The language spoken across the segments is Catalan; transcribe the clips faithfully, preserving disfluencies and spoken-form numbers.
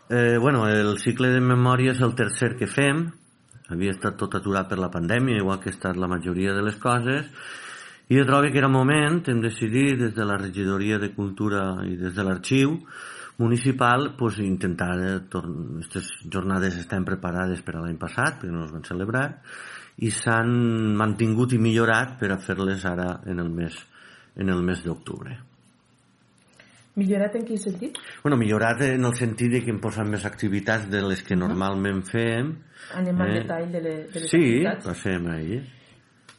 Eh, bueno, el cicle de memòria és el tercer que fem. Havia estat tot aturat per la pandèmia, igual que ha estat la majoria de les coses, i jo trobo que era moment, hem decidit des de la regidoria de Cultura i des de l'arxiu municipal pues, intentar, aquestes jornades estan preparades per a l'any passat, perquè no es van celebrar, i s'han mantingut i millorat per a fer-les ara en el mes, en el mes d'octubre. Millorat en quin sentit? Bueno, millorat en el sentit de que hem posat més activitats de les que normalment fem. Anem al eh, detall de les, de les sí, activitats. Sí, passem ahí.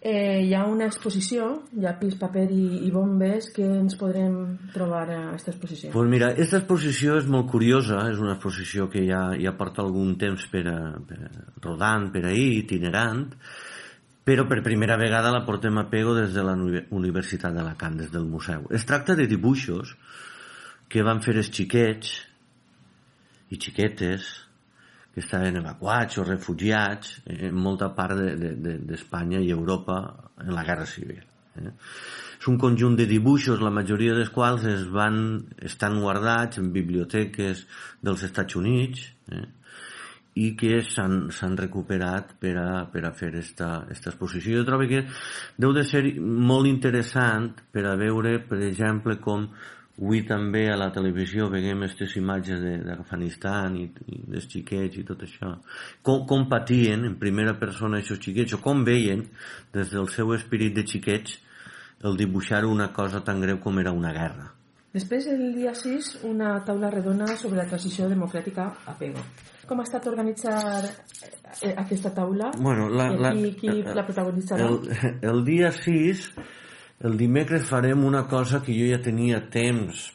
Eh, hi ha una exposició, hi ha pis, paper i, i bombes, que ens podrem trobar a aquesta exposició? Pues mira, aquesta exposició és molt curiosa, és una exposició que ja, ja porta algun temps per a, per a, rodant per ahí, itinerant, però per primera vegada la portem a Pego des de la Universitat d'Alacant, des del museu. Es tracta de dibuixos que van fer els xiquets i xiquetes que estaven evacuats o refugiats en molta part d'Espanya i Europa en la Guerra Civil. Eh? És un conjunt de dibuixos, la majoria dels quals es van, estan guardats en biblioteques dels Estats Units eh? i que s'han recuperat per a, per a fer esta, esta exposició. Jo trobo que deu de ser molt interessant per a veure, per exemple, com avui també a la televisió veiem aquestes imatges d'Afganistan i, i dels xiquets i tot això. Com, com patien en primera persona aquests xiquets, o com veien des del seu espírit de xiquets el dibuixar una cosa tan greu com era una guerra. Després, el dia sis, una taula redona sobre la transició democràtica a Pego. Com ha estat organitzar aquesta taula? Bueno, la, I qui, qui la, la protagonitzarà? El, el dia sis... El dimecres farem una cosa que jo ja tenia temps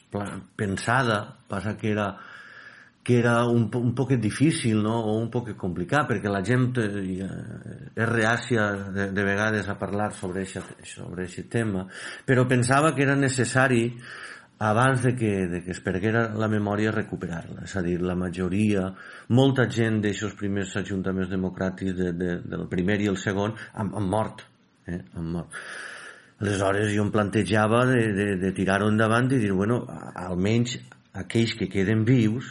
pensada, passa que era, que era un, un poquet difícil, no? O un poquet complicat, perquè la gent eh, és reàcia de, de vegades a parlar sobre aquest tema, però pensava que era necessari abans de que, de que es perguera la memòria recuperar-la, és a dir, la majoria, molta gent d'aixòs primers ajuntaments democràtics de, de, del primer i el segon han, han mort, eh? han mort. Aleshores jo em plantejava de, de, de tirar-ho endavant i dir, bueno, almenys aquells que queden vius,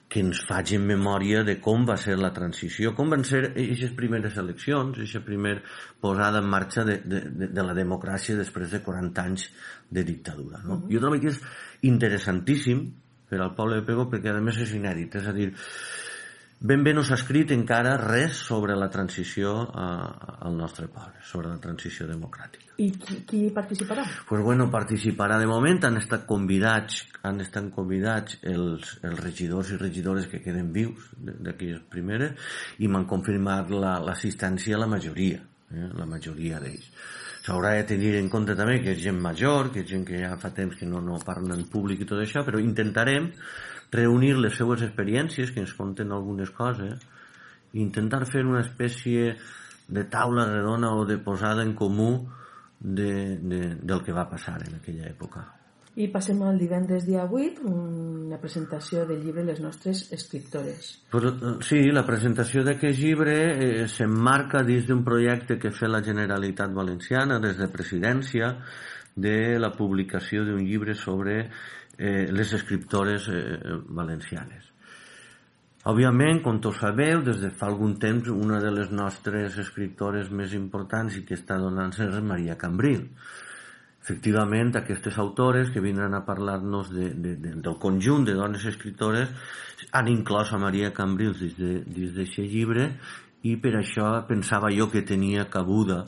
que ens facin memòria de com va ser la transició, com van ser aquestes primeres eleccions, aquesta primera posada en marxa de, de, de la democràcia després de quaranta anys de dictadura. No? Uh-huh. Jo trobo que és interessantíssim per al poble de Pego perquè a més és inèdit, és a dir, ben bé no s'ha escrit encara res sobre la transició a, al nostre poble, sobre la transició democràtica. I qui, qui participarà? Pues bueno, participarà de moment, han estat convidats, han estat convidats els, els regidors i regidores que queden vius d'aquelles primeres i m'han confirmat l'assistència la, a la majoria, eh, la majoria d'ells. S'haurà de tenir en compte també que és gent major, que és gent que ja fa temps que no, no parla en públic i tot això, però intentarem reunir les seues experiències, que ens conten algunes coses, i intentar fer una espècie de taula redona o de posada en comú de, de, del que va passar en aquella època. I passem al divendres dia vuit, una presentació del llibre Les nostres escriptores. Pues, sí, la presentació d'aquest llibre eh, s'emmarca dins d'un projecte que fa la Generalitat Valenciana des de Presidència de la publicació d'un llibre sobre eh, les escriptores eh, valencianes. Òbviament, com tots sabeu, des de fa algun temps una de les nostres escriptores més importants i que està donant-se és Maria Cambril. Efectivament, aquestes autores que vindran a parlar-nos de, de, de, del conjunt de dones escriptores han inclòs a Maria Cambril dins d'aquest llibre i per això pensava jo que tenia cabuda,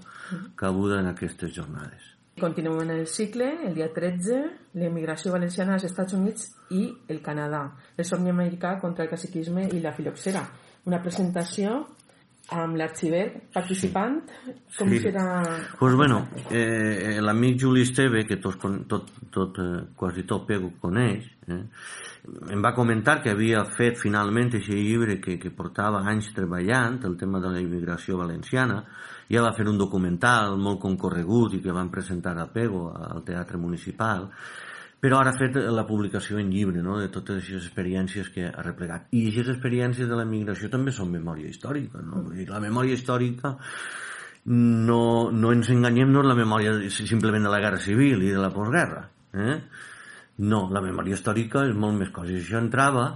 cabuda en aquestes jornades. Continuem en el cicle, el dia tretze, l'emigració valenciana als Estats Units i el Canadà, el somni americà contra el caciquisme i la filoxera. Una presentació amb l'arxiver participant. Com sí. serà? Pues bueno, eh, l'amic Juli Esteve, que tot, tot, tot, eh, quasi tot Pego coneix, eh, em va comentar que havia fet finalment aquest llibre que, que portava anys treballant, el tema de la immigració valenciana. Ja va fer un documental molt concorregut i que van presentar a Pego, al Teatre Municipal, però ara ha fet la publicació en llibre, no?, de totes aquestes experiències que ha replegat. I aquestes experiències de la immigració també són memòria històrica, no? Vull dir, la memòria històrica, no, no ens enganyem, no és la memòria simplement de la Guerra Civil i de la postguerra, eh? No, la memòria històrica és molt més coses. Això entrava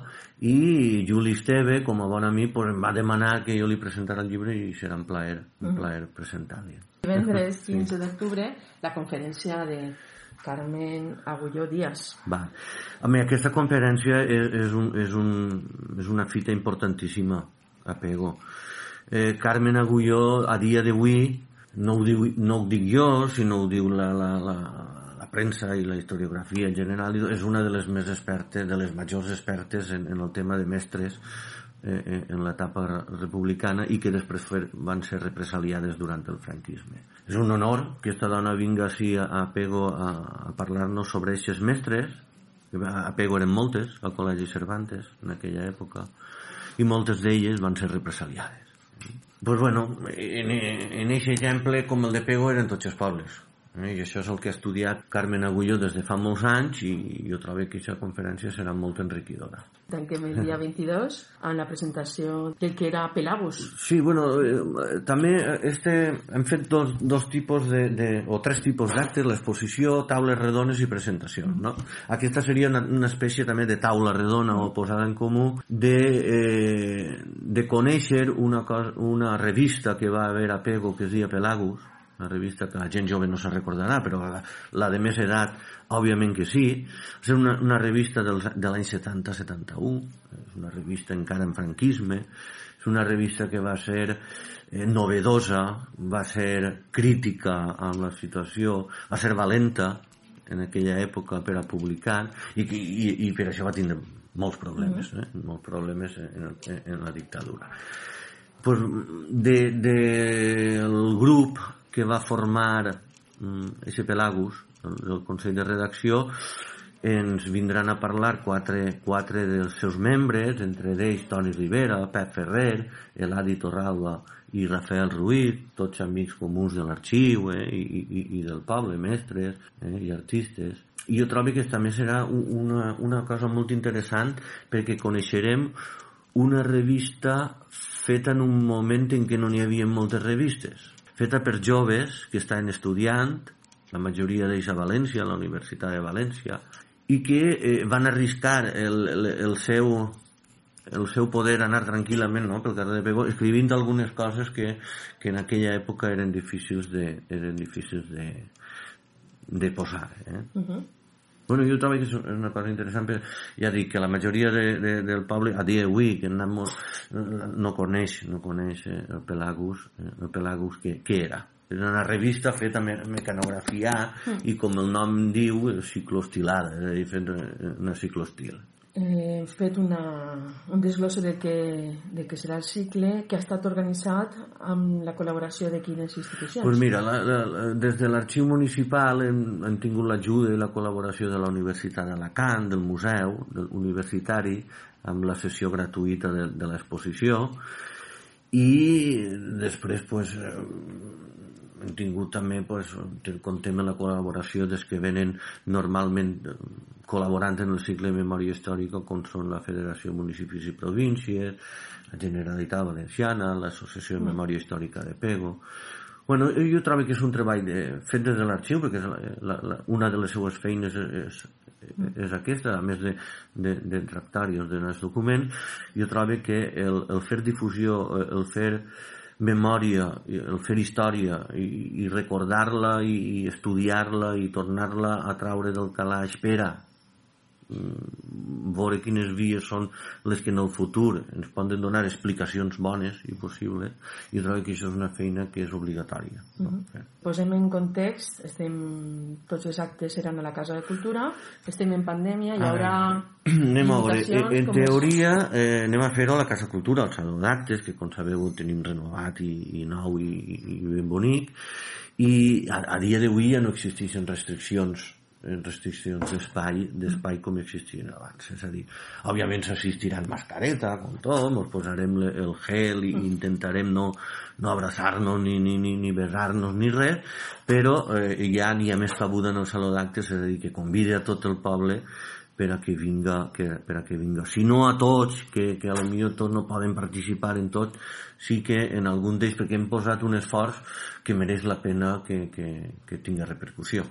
i Juli Esteve, com a bon amic, pues, em va demanar que jo li presentara el llibre i serà un plaer, un plaer presentar-li. Divendres quinze d'octubre, la conferència de Carmen Agulló Díaz. Va. A mi, aquesta conferència és, és, un, és, un, és una fita importantíssima a Pego. Eh, Carmen Agulló, a dia d'avui, no, ho diu, no ho dic jo, sinó ho diu la, la, la, la premsa i la historiografia en general, és una de les més expertes, de les majors expertes en, en el tema de mestres eh, en l'etapa republicana i que després van ser represaliades durant el franquisme. És un honor que aquesta dona vinga així a, a Pego a, a parlar-nos sobre aquests mestres. A Pego eren moltes, al Col·legi Cervantes, en aquella època, i moltes d'elles van ser represaliades. Pues bueno, en aquest exemple, com el de Pego, eren tots els pobles. I això és el que ha estudiat Carmen Agulló des de fa molts anys i jo trobo que aquesta conferència serà molt enriquidora. Tanquem el dia vint-i-dos amb la presentació del que era Pelagus. Sí, bueno, eh, també este, hem fet dos, dos tipus de, de, o tres tipus d'actes, l'exposició, taules redones i presentació, no? Aquesta seria una, una espècie també de taula redona o posada en comú de, eh, de conèixer una, cosa, una revista que va haver a Pego que es deia Pelagus, una revista que la gent jove no se recordarà, però la, la de més edat, òbviament que sí. És una, una revista del, de l'any setanta setanta-u, és una revista encara en franquisme, és una revista que va ser eh, novedosa, va ser crítica amb la situació, va ser valenta en aquella època per a publicar, i, i, i per això va tindre molts problemes, eh? molts problemes en, en, en la dictadura. Pues de, de el grup que va formar aquest Pelagus, el, el Consell de Redacció, ens vindran a parlar quatre, quatre dels seus membres, entre ells Toni Rivera, Pep Ferrer, Eladi Torralba i Rafael Ruiz, tots amics comuns de l'arxiu eh, i, i, i del poble, mestres eh, i artistes. I jo trobo que també serà una, una cosa molt interessant perquè coneixerem una revista feta en un moment en què no n'hi havia moltes revistes, feta per joves que estaven estudiant, la majoria d'ells a València, a la Universitat de València, i que eh, van arriscar el, el, el, seu, el seu poder anar tranquil·lament, no?, pel carrer de Pego, escrivint algunes coses que, que en aquella època eren difícils de, eren difícils de, de posar. Eh? Uh-huh. Bueno, jo trobo que és una cosa interessant, però ja dic que la majoria de, de, del poble, a dia d'avui, que molt, no coneix, no coneix el Pelagus, el Pelagus que, que era. Era una revista feta me, mecanografia mm. i, com el nom diu, cicloestilada, és a dir, fet una cicloestil. He eh, fet una, un desglosse de que, de que serà el cicle que ha estat organitzat amb la col·laboració de quines institucions? Pues mira, la, la, des de l'arxiu municipal hem, hem tingut l'ajuda i la col·laboració de la Universitat d'Alacant, del museu del universitari, amb la sessió gratuïta de, de l'exposició, i després pues, hem tingut també, pues, contem amb la col·laboració des que venen normalment col·laborant en el cicle de memòria històrica, com són la Federació de Municipis i Províncies, la Generalitat Valenciana, l'Associació de Memòria Històrica de Pego. Bueno, jo trobo que és un treball de, fet des de l'arxiu, perquè la, la, la, una de les seues feines és, és, és aquesta, a més de, de, de tractar i ordenar els documents. Jo trobo que el, el fer difusió, el fer memòria, el fer història i, i recordar-la i, i estudiar-la i tornar-la a traure del calaix per a veure quines vies són les que en el futur ens poden donar explicacions bones i possibles. Jo trobo que això és una feina que és obligatòria. Uh-huh. No? Posem en context, estem, tots els actes seran a la Casa de Cultura, estem en pandèmia, hi haurà anem a veure, en teoria eh, anem a fer-ho a la Casa de Cultura, al Saló d'Actes, que com sabeu tenim renovat i, i nou i, i ben bonic, i a, a dia d'avui ja no existeixen restriccions restriccions d'espai d'espai com existien abans, és a dir, òbviament s'assistirà en mascareta, com tot, ens posarem el gel i intentarem no, no abraçar-nos ni, ni, ni, ni besar-nos ni res, però eh, ja n'hi ha més cabuda en el Saló d'Actes, és a dir, que convida a tot el poble per a que vinga, que, per a que vinga. Si no a tots, que, que a lo millor tots no poden participar en tot, sí que en algun d'ells, perquè hem posat un esforç que mereix la pena que, que, que tingui repercussió.